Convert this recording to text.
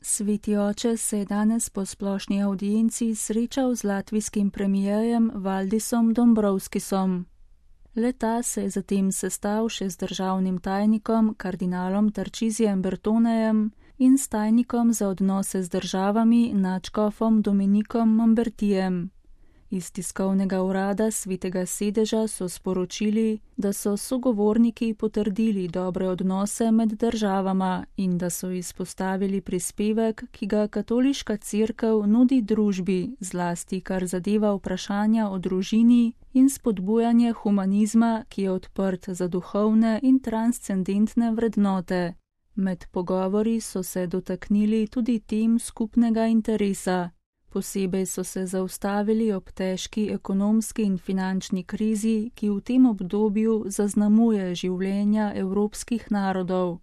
Sveti oče se je danes po splošni avdienci srečal z latvijskim premijerjem Valdisom Dombrovskisom. Le-ta se je zatem sestal še z državnim tajnikom kardinalom Tarcisijem Bertonejem in s tajnikom za odnose z državami nadškofom Dominikom Mambertijem. Iz tiskovnega urada Svetega sedeža so sporočili, da so sogovorniki potrdili dobre odnose med državama in da so izpostavili prispevek, ki ga Katoliška cerkev nudi družbi, zlasti kar zadeva vprašanja o družini in spodbujanje humanizma, ki je odprt za duhovne in transcendentne vrednote. Med pogovori so se dotaknili tudi tem skupnega interesa. Posebej so se zaustavili ob težki ekonomski in finančni krizi, ki v tem obdobju zaznamuje življenja evropskih narodov.